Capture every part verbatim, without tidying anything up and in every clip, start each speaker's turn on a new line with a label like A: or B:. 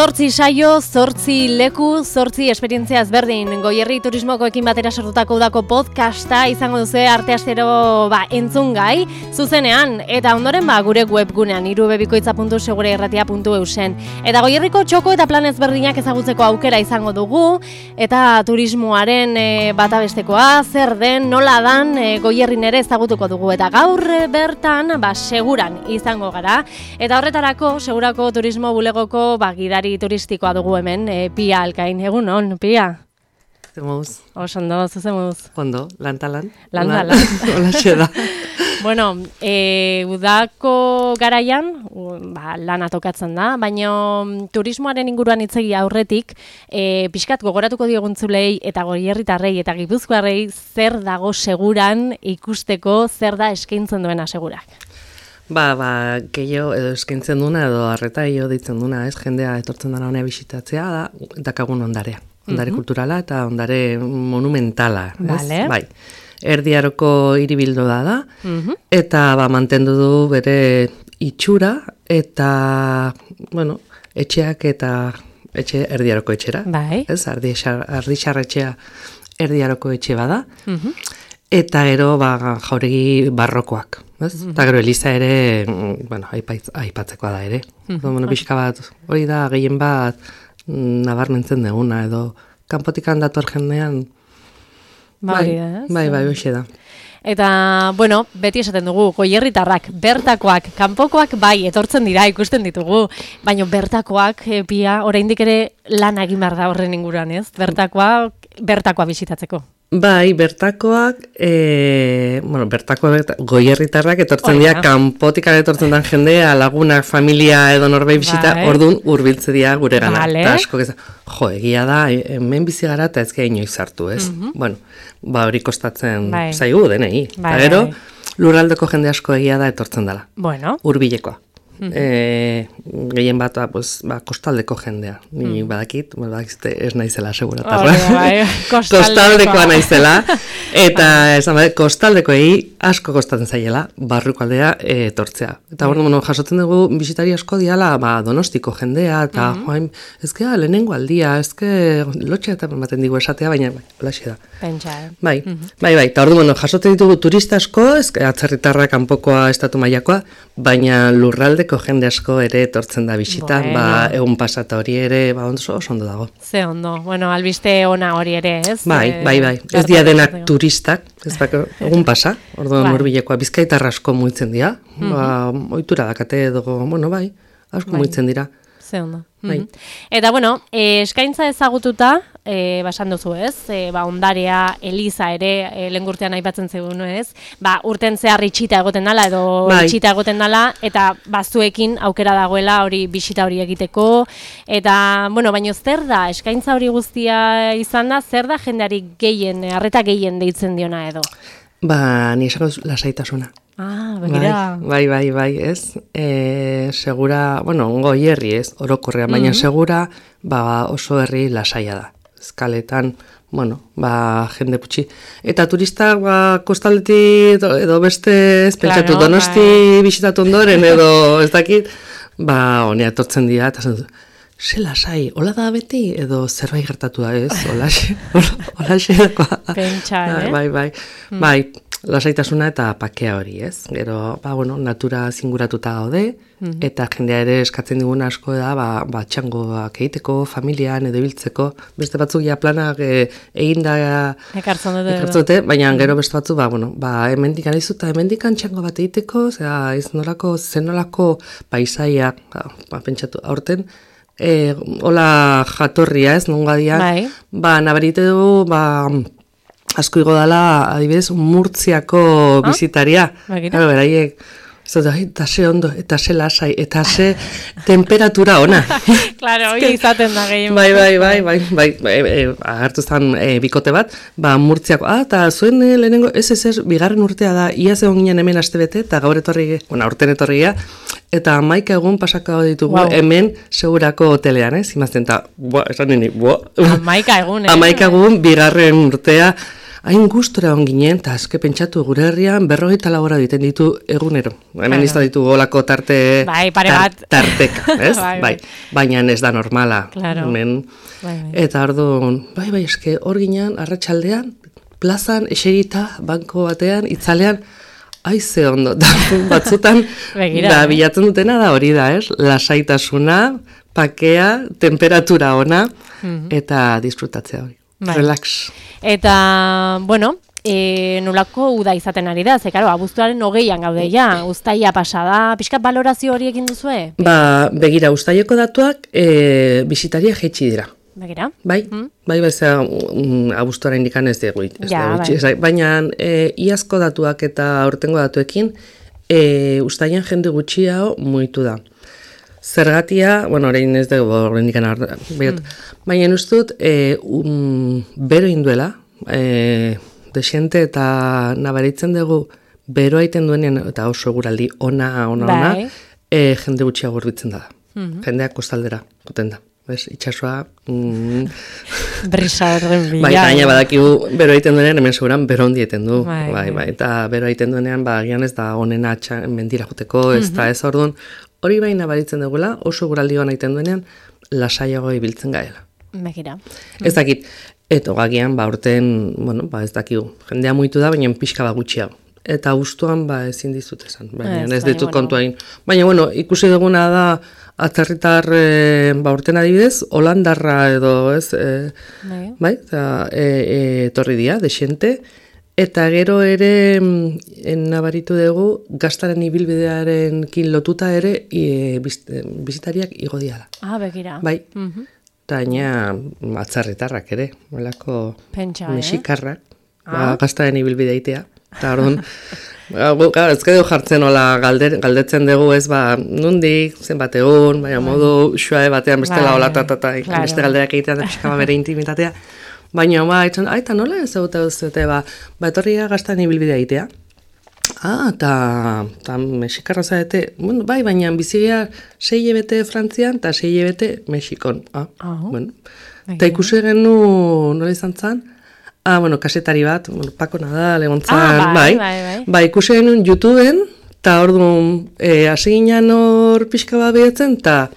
A: Zortzi saio, zortzi leku, zortzi esperientzia ezberdin. Goierri turismokoekin batera sortutako udako podcasta izango duzu arteastero ba, entzungai, zuzenean, eta ondoren ba, gure webgunean, irubebikoitza puntu segureirratia puntu eusen. Eta Goierriko txoko eta plan ezberdinak ezagutzeko aukera izango dugu, eta turismoaren e, bata bestekoa, zer den, nola dan, e, Goierrin ere ezagutuko dugu. Eta gaur e, bertan, ba, seguran izango gara. Eta horretarako, segurako turismo bulegoko ba, gidari turistikoa dugu hemen, e, Pia Alkain. Egun on, Pia?
B: Zemuz.
A: Osondo, zuzemuz.
B: Ondo, lantalan.
A: Lantalan.
B: Hola, xeda.
A: Bueno, e, udako garaian, ba, lana tokatzen da, baina turismoaren inguruan hitzegi aurretik, e, pixkat gogoratuko dioguntzulei eta goierritarrei eta gipuzkoarrei zer dago seguran ikusteko, zer da eskaintzen duena segurak.
B: Ba, ba, gehiago edo eskaintzen duna edo arreta gehiago ditzen duna, ez, jendea etortzen dara honea bisitatzea da, dakagun ondarea. Ondare mm-hmm. kulturala eta ondare monumentala, ez?
A: Vale.
B: Bai. Erdiaroko hiribildo da da,
A: mm-hmm.
B: eta ba, mantendu du bere itxura eta, bueno, etxeak eta etxe erdiaroko etxera.
A: Bai.
B: Ez, ardixarretxea erdiaroko etxe bada.
A: Mm-hmm.
B: Eta gero ba, jauregi barrokoak. Ez? Mm-hmm. Eta gero Eliza ere, bueno, aipaitz, aipatzekoa da ere. Mm-hmm. Bueno, pixka bat, hori da gehien bat nabarmentzen deguna, edo kanpotikan dator jendean.
A: Ba,
B: bai,
A: ez?
B: bai, bai, hoxe da.
A: Eta, bueno, beti esaten dugu, goierritarrak, bertakoak, kanpokoak bai, etortzen dira, ikusten ditugu, baina bertakoak, e, Pia, oraindik ere lan egin behar da horren inguruan, ez? Bertakoak, bertakoa bisitatzeko.
B: Bai, bertakoak, e, bueno, bertakoak, berta, goierritarrak etortzen dira, kanpotikan etortzen den jendea, lagunak, familia edo norbait bisita, bai. Orduan hurbiltze dira gure gana.
A: Vale.
B: Eta asko, ez, jo, egia da, hemen bizi gara eta ez gehi inoiz hartu, ez? Mm-hmm. Bueno, ba hori kostatzen bai. Zaigu denei. Bai, eta gero, bai. Lurraldeko jende asko egia da etortzen dela.
A: Bueno.
B: Hurbilekoa. Mm-hmm. E, gehien bat, pues, ba, kostaldeko jendea. Ni mm. badakit, badakit ez naizela seguratarra.
A: Oh, bai.
B: Kostaldekoa naizela. Eta esan bat, kostaldekoei asko kostatzen zaiela, barruko aldea etortzea. Eta mm. bueno, jasotzen dugu bisitari asko diala, ba, Donostiko jendea, eta mm-hmm. joain, ezke lehenengo aldia, ezke lotxea eta ematen digu esatea, baina bai, holaxe da.
A: Pentsa, eh?
B: Bai,
A: mm-hmm.
B: bai, bai, eta ordu, bueno, jasotzen ditugu turista asko, ezke atzerritarra kanpoko estatu mailakoa, baina lurraldeko jende asko ere etortzen da bisita, bueno. Ba, egun pasata hori ere, ba, oso ondo dago. Ze
A: ondo, bueno, albiste ona hori ere, ez?
B: Bai, bai, bai, ez dia denak turistak, ez da, egun pasa, orduan bai. Hurbilekoa, Bizkaitar asko muitzen dira, mm-hmm. ba, ohitura dakate edo, bueno, bai, asko bai. Muitzen dira.
A: Ze ondo. Bai. Mm-hmm. Eta, bueno, e, eskaintza ezagututa, e, basan duzu ez, e, ba, ondarea, Eliza ere, e, lengurtean aipatzen zegoen, ez, ba, urten zehar itxita egoten dala, edo bai. Itxita egoten dala, eta bazuekin aukera dagoela hori bisita hori egiteko, eta, bueno, baina zer da, eskaintza hori guztia izan da, zer da jendeari gehien, arreta gehien deitzen diona edo?
B: Ba, ni esako lasaitasuna.
A: Ah, begira.
B: Bai, bai, bai, ez. E, segura, bueno, Goierri ez, orokorrean, baina mm-hmm. segura, ba, oso herri lasaia da. Eskaletan, bueno, ba, jende putxi. Eta turistak, ba, kostaldetik edo beste, ez pentsatu, claro, Donosti bai. Bisitatu ondoren, edo ez dakit, ba, honea etortzen dira, eta zen, ze lasai, hola da beti, edo zerbait gertatu da ez, hola xe, hola xe dakoa.
A: Pentsa, eh?
B: Bai, bai, mm. bai, lasaitasuna eta pakea hori, ez? Gero, ba, bueno, natura zinguratuta gaude, mm-hmm. eta jendea ere eskatzen diguna asko da, ba, ba txangoak egiteko, familian edo biltzeko, beste batzuk ja planak e, egin da
A: ekartzen dute,
B: dute, baina mm-hmm. gero beste batzuk, ba, bueno, ba, hemendikan izuta, hemendikan txango bat egiteko, zera, ez nolako, zenolako paisaia, ba, ba, pentsatu, aurten, e, hola jatorria, ez, nonga dian, bai. Ba, nabarite dugu, ba, asko igo dala, adibidez, Murtziako ah? Bizitaria. Claro, beraiek, eta ze ondo, eta ze lasai, eta ze temperatura ona.
A: Claro, hori izaten da gehien.
B: Bai, bai, bai, bai, bai, bai, bai, agertu zen e, bikote bat, ba, Murtziako, ah, eta zuen e, lehenengo, ez, ez, ez, bigarren urtea da, ia zegoen ginen hemen astebete, eta gaur etorri, bueno, aurten etorria, eta hamaika egun pasako ditugu wow. Hemen segurako hotelean, ez, imazten, eta, boa, esan nini, boa.
A: Hamaika egun, eh?
B: Hamaika egun, bigarren urtea, hain gustora onginen, eta azke pentsatu gure herrian berrogeita labora diten ditu egunero. Hemen izan ditu golako tarte,
A: bai, pare bat.
B: tar, tarteka, ez? bai, bai. Baina ez da normala.
A: Claro.
B: Hemen,
A: bai, bai.
B: Eta orduan, bai, bai, eske hor ginen, arratsaldean, plazan, eserita, banko batean, itzalean, aize ondo, da, batzutan,
A: Begira,
B: da,
A: eh?
B: bilatzen dutena da hori da, ez? Lasaitasuna, pakea, temperatura ona, mm-hmm. eta disfrutatzea hori. Bai. Relax.
A: Eta, bueno, e, nolako uda izaten ari da, ze, karo, abuztuaren hogeian gaude ja, uztaia pasada, pixkat balorazio hori egin duzue?
B: Ba, begira, uztaieko datuak e, bisitaria jeitsi dira.
A: Begira?
B: Bai, mm? bai, bai, zera, um, abuztuaren indikan ez dugu, ez
A: ja,
B: dugu,
A: bai.
B: Baina e, iazko datuak eta aurtengo datuekin, e, uztaian jende gutxiago mugitu da. Zergatia, bueno, orain ez dugu, orain dikan mm. baina ustut, e, um, bero induela, e, desente eta nabaritzen dugu, bero aiten duenean, eta oso eguraldi ona, ona, ona,
A: bai.
B: e, jende gutxiago gorbitzen da. Mm-hmm. Jendeak kostaldera, goten da. Bez, itxasua... Mm,
A: brisa horren bila.
B: Bai, gaina badakigu, bero aiten duenean, hemen seguran, bero hondi eten du.
A: Bai,
B: bai, bai, eta bero aiten duenean, ba, gian ez da onena atxan, mendira joteko, ez da ez orduan, hori baina baritzen dugula, oso guraldi hona aiten duenean, lasaiago ibiltzen gaela.
A: Begira.
B: Ez dakit, eto gagian, ba, urten, bueno, ba, ez dakigu, jendea muitu da, baina pixka bat gutxiago. Eta guztuan, ba, ezin dizut esan, baina ez, ez ditut bueno. kontuain. Baina, bueno, ikusi duguna da, atzerritar, e, ba, urten adibidez, Holandarra edo, ez, e, bai, bai eta, e, e, torri dia, desente, eta gero ere, nabaritu dugu, gaztaren ibilbidearen kin lotuta ere, e, bizitariak igo diala.
A: Ah, begira.
B: Bai,
A: mm-hmm.
B: eta gaina atzerritarrak ere, molako mexikarrak,
A: eh?
B: ba, ah. gaztaren ibilbideitea. Eta orduan, ez gero jartzen hola galder, galdetzen dugu ez, ba, nundik, zenbat egun, baina modu xua batean bestela hola tatata, claro. Beste galderak egitean da pixka bere intimitatea. Baina, ba, etan, aita nola ez eguta duzute, ba, ba, etorria gaztan ibilbidea egitea. Ah, eta mexikarra zaete, bueno, bai, baina bizigea sei hilabete Frantzian eta sei hilabete Mexikon. Ah, oh. Bueno. Eta ikusi genu, nola izan zan? Ah, bueno, kasetari bat, bueno, Paco Nadal, egon zan,
A: ah, bai,
B: bai,
A: bai, bai.
B: Ba, ikusi genuen YouTubeen, eta orduan, e, hasi ginen hor pixka bat behetzen, eta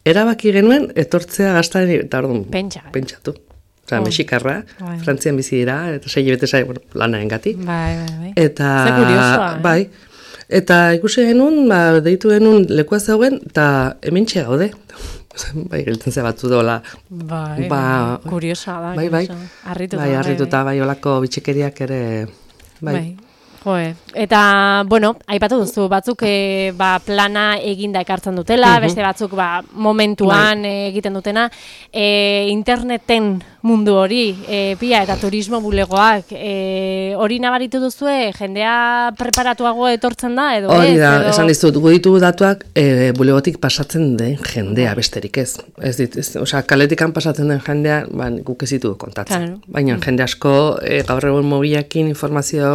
B: erabaki genuen, etortzea gaztaren, eta orduan,
A: Pentsa.
B: pentsatu. Osa, oh. Mexikarra,
A: bai. Frantzian
B: bizi dira, eta sei bete zai, bueno, lanaen gati.
A: Bai, bai, bai.
B: Eta,
A: ze kuriosoa, eh?
B: Bai, eta ikusi genuen, ba, deitu genuen lekua zegoen, eta hemen txea gaude. Bai, geltzen ze batzu dola.
A: Bai,
B: ba,
A: kuriosa da.
B: Bai, bai.
A: Arrituta,
B: bai, arrituta, bai, olako bitxikeriak ere, bai.
A: bai. Joe. Eta, bueno, aipatu duzu, batzuk e, ba, plana eginda ekartzen dutela, uh-huh. beste batzuk ba, momentuan bai. egiten dutena, e, interneten mundu hori, e, pia eta turismo bulegoak, e, hori nabaritu duzue, jendea preparatuago etortzen da, edo
B: hori
A: ez?
B: da,
A: edo...
B: esan dizut, gu ditugu datuak e, bulegotik pasatzen den jendea besterik ez. Ez dit, ez, osea, kaletikan pasatzen den jendea, ba, guk ez ditu kontatzen. Claro. Baina mm. jende asko, e, gaur egun mobilakin informazio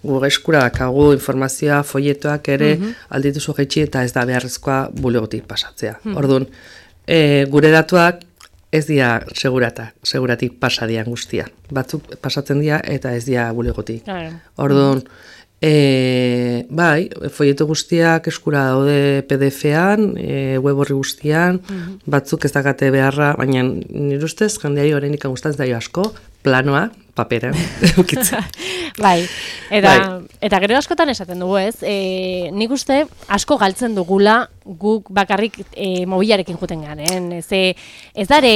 B: gu eskura dakagu informazioa, folletoak ere mm-hmm. aldituzu jaitsi eta ez da beharrezkoa bulegotik pasatzea. Mm-hmm. Orduan, e, gure datuak ez dira segurata, seguratik pasadian guztia. Batzuk pasatzen dira eta ez dira bulegotik. Claro. Orduan, e, bai, folleto guztiak eskura daude P D F-an, e, web horri guztian, mm-hmm. batzuk ez dakate beharra, baina nire ustez, jendeari horrenik gustatzen zaio asko, planoa, paperan, eukitzen.
A: Bai, eta,
B: bai.
A: eta gero askotan esaten dugu ez, e, nik uste asko galtzen dugula guk bakarrik e, mobilarekin juten garen, ez, ez dare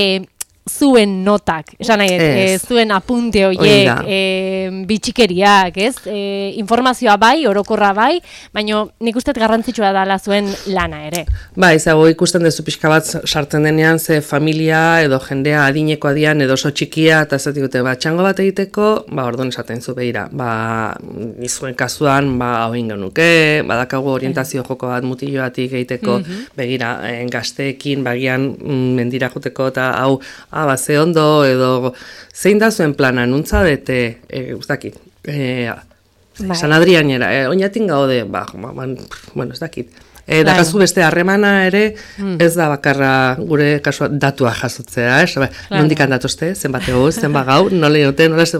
A: zuen notak, esan nahi, e, zuen apunte horiek, e, bitxikeriak, ez, e, informazioa bai, orokorra bai, baina nik uste garrantzitsua dela zuen lana ere.
B: Ba, izago ikusten dezu pixka bat sartzen denean, ze familia edo jendea adineko adian edo oso txikia, eta ez dute, ba, txango bat egiteko, ba, orduan esaten zu behira, ba, izuen kasuan, ba, hau ingo nuke, badakagu orientazio joko bat mutiloatik egiteko, mm-hmm. begira, en, gazteekin, bagian, mendira juteko, eta hau, ah, ba, ze ondo, edo, zein da zuen plana, nuntza bete, e, uztakit, e, San Adrianera, e, oinatin gaude, ba, ba, bueno, ez dakit, E, da kasu beste harremana ere, mm. ez da bakarra gure kasua datua jasotzea, ez? Claro. Nondikan datozte, zenbat ego, zenbat gau, nola inote, nola ez,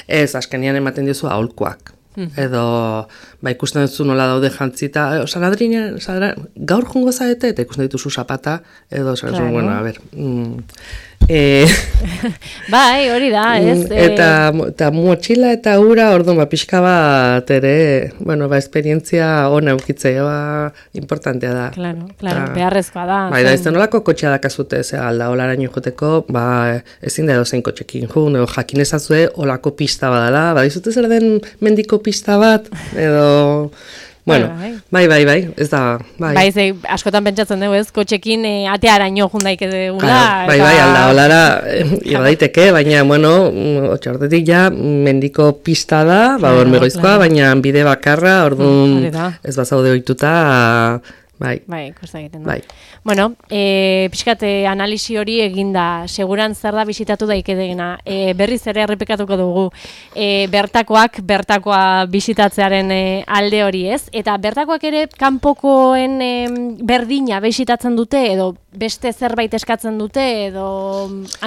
B: ez, azkenian ematen diozu aholkuak. Edo, ba, ikusten dutzu nola daude jantzita, Saladrina, gaur jungo zaete, eta ikusten dituzu zapata, edo, claro. Bueno, a ver, mm, e,
A: bai, hori da, ez?
B: Eta, eta motxila eta ura, orduan, ba, pixka bat ere, bueno, ba, esperientzia ona eukitzea, ba, importantea da.
A: Claro, claro, beharrezkoa da.
B: Bai, da, ez da nolako kotxea dakazute, ze alda, olaraino joteko, ba, ezin da edo zein kotxekin jun, edo jakin ezazue, olako pista badala, ba, dizute zer den mendiko pista bat, edo... Bueno, bai, bai, bai, ez da, bai.
A: Bai, ze, askotan pentsatzen dugu ez, kotxekin e, atearaino jundaik edugula.
B: Claro, bai, bai, alda, holara, iba daiteke, baina, bueno, otxortetik ja, mendiko pista da, ba, claro, hormegoizkoa, claro. Baina bide bakarra, orduan, ez bazaude ohituta, bai.
A: Bai, kosta egiten da. Bai. Bueno, e, pixkate analisi hori eginda, seguran zer da bisitatu daikedegena. E, berriz ere errepikatuko dugu, e, bertakoak, bertakoa bisitatzearen e, alde hori ez, eta bertakoak ere kanpokoen e, berdina bisitatzen dute, edo beste zerbait eskatzen dute, edo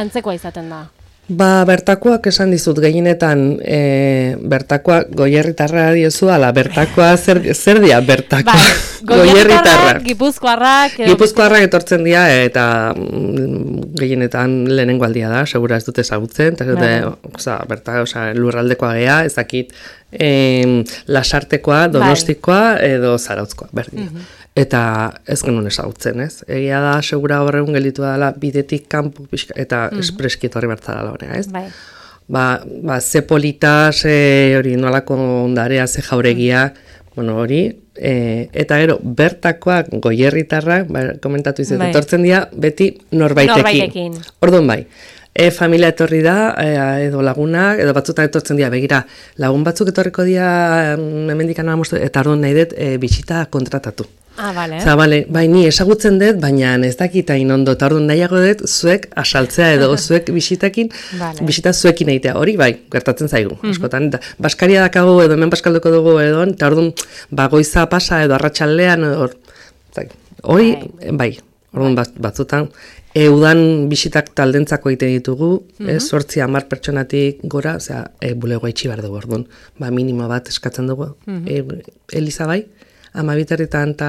A: antzekoa izaten da.
B: Ba, bertakoak esan dizut gehienetan, e, bertakoak goierritarra diozu, ala, bertakoa zer, zer dia bertakoa?
A: Bai, goierritarrak, gipuzkoarrak...
B: Gipuzkoarrak etortzen dira, eta mm, gehienetan lehenengo aldia da, segura ez dute ezagutzen, eta dute, oza, berta, oza, lurraldekoa gea, ez dakit, e, lasartekoa, donostikoa, edo zarautzkoa, berdin. Mm-hmm. Eta ez genuen ezagutzen, ez? Egia da, segura horregun gelitu dela bidetik kanpo pixka, eta mm-hmm. espreski etorri bertzara honea, ez? Bai. Ba, ba, ze polita, ze hori nolako ondarea, ze jauregia, mm-hmm. bueno, hori, e, eta gero, bertakoak goierritarrak, ba, komentatu izan, bai. Etortzen dira, beti norbaitekin. Norbaitekin. Orduan bai. E, familia etorri da, e, edo lagunak, edo batzutan etortzen dira, begira, lagun batzuk etorriko dira, hemendikan amostu, eta orduan nahi dut, e, bisita kontratatu.
A: Ah, vale.
B: Oza, bale, bai, ni esagutzen dut, baina ez dakita inondo, eta orduan nahiago dut, zuek asaltzea edo zuek bisitakin, vale. Bisita zuekin egitea, hori bai, gertatzen zaigu, mm-hmm. askotan, eta Baskaria dakago edo hemen baskalduko dugu edo, eta orduan, ba, goiza pasa edo arratsaldean hor, hori, bai, bai orduan bat, batzutan, eudan bisitak taldentzako egiten ditugu, mm-hmm. ez, sortzi hamar pertsonatik gora, osea, e, bulegoa itxi behar dugu, orduan, ba, minimo bat eskatzen dugu, mm-hmm. e, Eliza bai, ama biterritan eta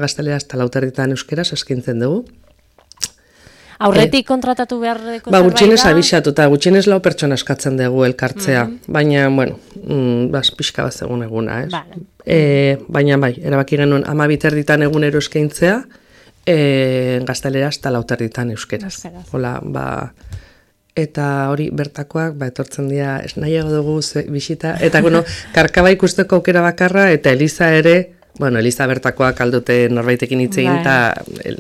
B: gaztelera eta lauterritan euskeraz eskintzen dugu.
A: Aurretik kontratatu beharreko
B: zerbait da? Ba, gutxienez abixatu eta gutxienez lau pertsona eskatzen dugu elkartzea. Mm-hmm. Baina, bueno, mm, bas, pixka bat egun eguna, ez? Vale. E, baina, bai, erabaki genuen ama biterritan egunero eskaintzea, e, gaztelera eta lauterritan euskeraz. Euskeraz. Hola, ba... Eta hori bertakoak, ba, etortzen dira, ez nahiago dugu bisita, eta, bueno, karkaba ikusteko aukera bakarra, eta Eliza ere, bueno, Eliza bertakoak aldute norbaitekin hitz egin, eta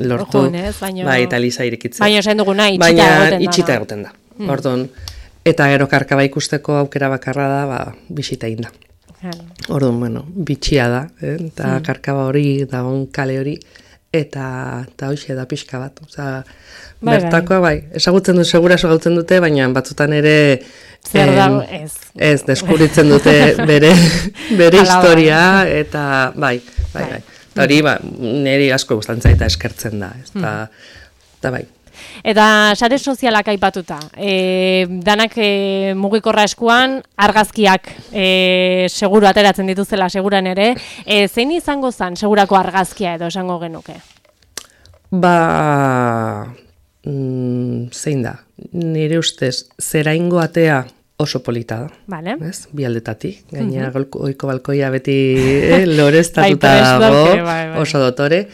B: lortu, baino, bai, eta Eliza irekitzen.
A: Baina esan duguna, itxita egoten da.
B: Baina itxita egoten da, mm. Orduan, eta gero karkaba ikusteko aukera bakarra da, ba, bisita egin da. Mm. Orduan, bueno, bitxia da, eh? Eta mm. karkaba hori, dagoen kale hori, eta, eta hoxe da pixka bat, oza, bai, bertakoa bai, esagutzen dut, segura esagutzen dute, baina batzutan ere
A: zer dago, ez.
B: Ez, deskubritzen dute bere, bere historia, eta bai, bai, bai. Eta hori, ba, niri asko gustantzea eta eskertzen da, ez da, eta bai.
A: Eta sare sozialak aipatuta, e, danak e, mugikorra eskuan, argazkiak e, seguru ateratzen dituzela seguran ere, e, zein izango zen segurako argazkia edo esango genuke?
B: Ba, mm, zein da, nire ustez, zeraingo atea oso polita da,
A: vale.
B: Ez? Bi aldetatik, gaina uh-huh. oiko balkoia beti eh, loreztatuta dago, bai, bai. Oso dotore,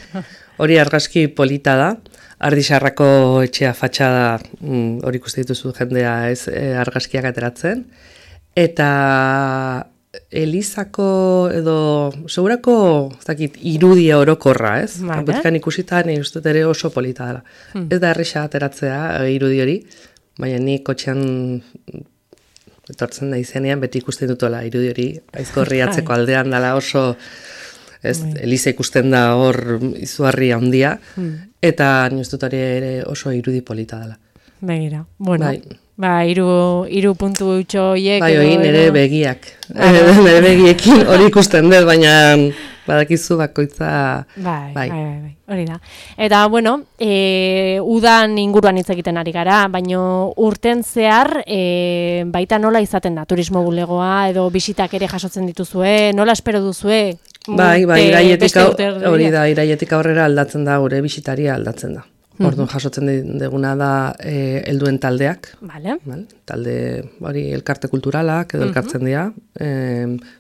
B: hori argazki polita da, Ardixarrako etxea fatxada mm, hori ikuste dituzu jendea ez e, argazkiak ateratzen, eta Elizako edo segurako ez dakit, irudia orokorra, ez? Vale. Kanpotikan ikusita nire ustez ere oso polita dela. Hmm. Ez da erresa ateratzea irudi hori, baina ni kotxean etortzen da izenean beti ikusten dutola irudi hori, aizkorri atzeko aldean dela oso... Ez, Eliza ikusten da hor izugarri handia, hmm. eta nioz dut ere oso irudi polita dela.
A: Begira, bueno, bai. Ba, iru, iru puntu utxo hiek.
B: Bai, hori nire begiak, nire begiekin hori ikusten dut, baina badakizu bakoitza...
A: Bai, bai, bai, bai, hori da. Eta, bueno, e, udan inguruan hitz egiten ari gara, baina urten zehar e, baita nola izaten da turismo bulegoa, edo bisitak ere jasotzen dituzue, nola espero duzue?
B: Bai, bai, iraietik hori da, iraietik aurrera aldatzen da, gure bisitaria aldatzen da. Orduan jasotzen deguna da e, helduen taldeak,
A: vale.
B: Vale? Talde hori elkarte kulturalak edo elkartzen dira, e,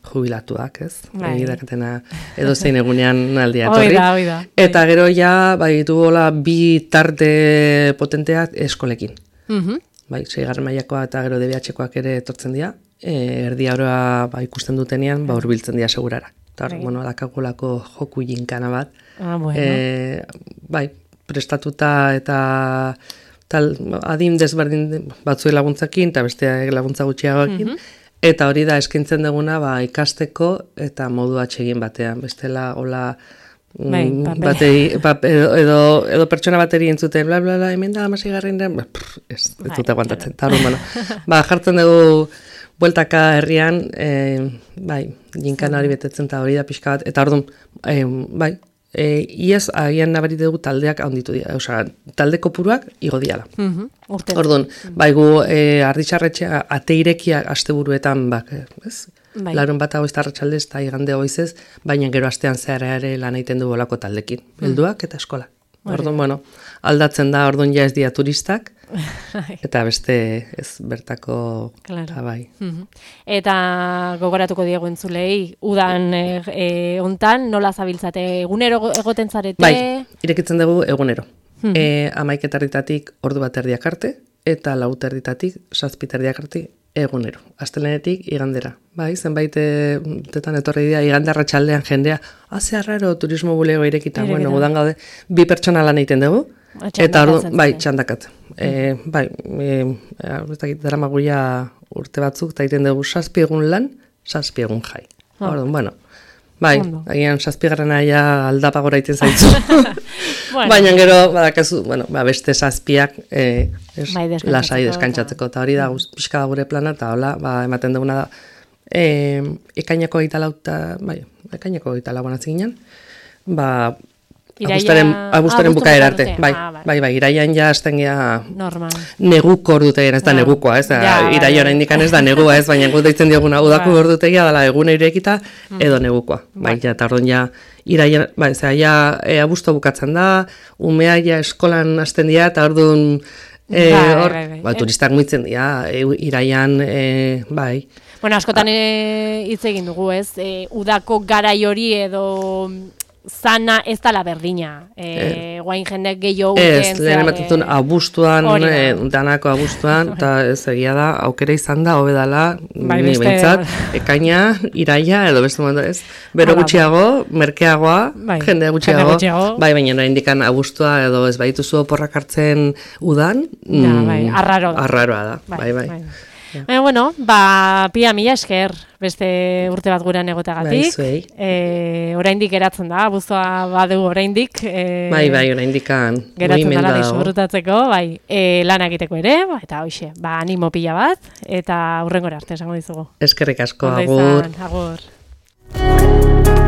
B: jubilatuak, ez?
A: Bai.
B: Egidaketena edo zein egunean aldia etorri.
A: Oida, oida.
B: Eta gero ja, bai, duola bi tarte potenteak eskolekin.
A: Uh-huh.
B: Bai, seigarren mailakoa eta gero D B H-koak ere etortzen dira, e, erdi aurra ba, ikusten dutenean, ba, hurbiltzen dira segurara. Eta,
A: Bai.
B: bueno, dakagolako joku jinkana bat.
A: Ah, bueno.
B: E, bai, prestatuta eta tal, adin desberdin batzue laguntzakin eta besteak laguntza gutxiagoekin.
A: Mhm.
B: Eta hori da eskaintzen duguna ba, ikasteko eta modu atsegin batean. Bestela, hola,
A: Bai,
B: mm, bateri, pa, edo, edo, edo pertsona bateri entzuten, bla, bla, bla, hemen da, amasi garren da, ba, pff, ez, ez dute aguantatzen. Eta hori, bueno, ba, jartzen dugu bueltaka herrian, e, bai, jinkan hori betetzen eta hori da pixka bat, eta orduan, e, bai, e, iaz agian nabari dugu taldeak handitu dira, osea, talde kopuruak igo diala.
A: Uh-huh.
B: Orduan, bai, gu e, arditxarretxea ateirekiak asteburuetan, bak, ez? Bai. Larun bat hau iztarratxaldez eta igande goizez, baina gero astean zehar ere lan egiten du bolako taldekin, helduak eta eskola. Orduan, bueno, aldatzen da, orduan ja ez dira turistak, eta beste ez bertako,
A: claro.
B: Eta bai.
A: Uh-huh. Eta gogoratuko diegu entzulei, udan e, e, ontan, nola zabiltzate, egunero egoten zarete?
B: Bai, irekitzen dugu egunero.
A: Uh-huh.
B: E, amaik etarditatik ordu bat erdiak arte, eta lau erditatik zazpiterdiak arte egunero. Astelenetik igandera. Bai, zenbait tetan etorri dira igande arratsaldean jendea, "Ah, raro turismo bulego irekita." Bueno, gudan gaude bi pertsona lan egiten dugu. Eta ordu, bai, txandakat. Eh, bai, eh, ez dakit daramaguia urte batzuk ta egiten dugu zazpi egun lan, zazpi egun jai.
A: Oh.
B: Orduan, bueno. Bai, agian zazpigarrena ja aldapagora egiten zaitzu. Bueno. Baina gero, badakazu, bueno, ba, beste zazpiak eh, es, bai, lasai deskantzatzeko, eta hori da, guz, pixka da gure plana, eta hola, ba, ematen duguna da, eh, ekainako gaita lauta, bai, ekainako gaita lauan atziginen, ba, abustaren, abustaren bukaera arte, bai, ah, bai, bai, iraian ja azten gea neguko ordutegian, ez da no. negukoa, ez da, ja, iraia orain dikan ez da negua, ez, baina gu deitzen dioguna udako bai. Ordutegia dela egune irekita edo negukoa, bai, bai ja, eta orduan ja, iraia, bai, zera, ja, e, abusto bukatzen da, umea ja eskolan hasten dira, eta orduan, e, bai, hor, bai, bai, bai. Ba, turistak muitzen dira, e, iraian, e, bai.
A: Bueno, askotan hitz egin dugu, ez, e, udako garai hori edo zana ez dala berdina. Eh, guain jendek gehiago uten.
B: Ez, lehen ematen abuztuan, eh, danako abuztuan, eta ez egia da, aukera izan da, hobedala, bai, ni behintzat, ekaina, iraia, edo beste momentu ez. Bero gutxiago, merkeagoa, bai, jendea gutxiago, gutxiago, bai, baina noa indikan abuztua, edo ez baituzu oporrak hartzen udan,
A: ja, bai, arraro da.
B: Arraroa da, bai, bai. bai.
A: Ja. Baina, bueno, ba, pia mila esker, beste urte bat gurean egotagatik.
B: Bai,
A: e, oraindik geratzen da, abuztua badu oraindik. E,
B: bai, bai, oraindikan.
A: Geratzen dela disfrutatzeko, bai, e, lan egiteko ere, ba, eta hoxe, ba, animo pila bat, eta hurrengora arte esango dizugu.
B: Eskerrik asko, agur.
A: Agur.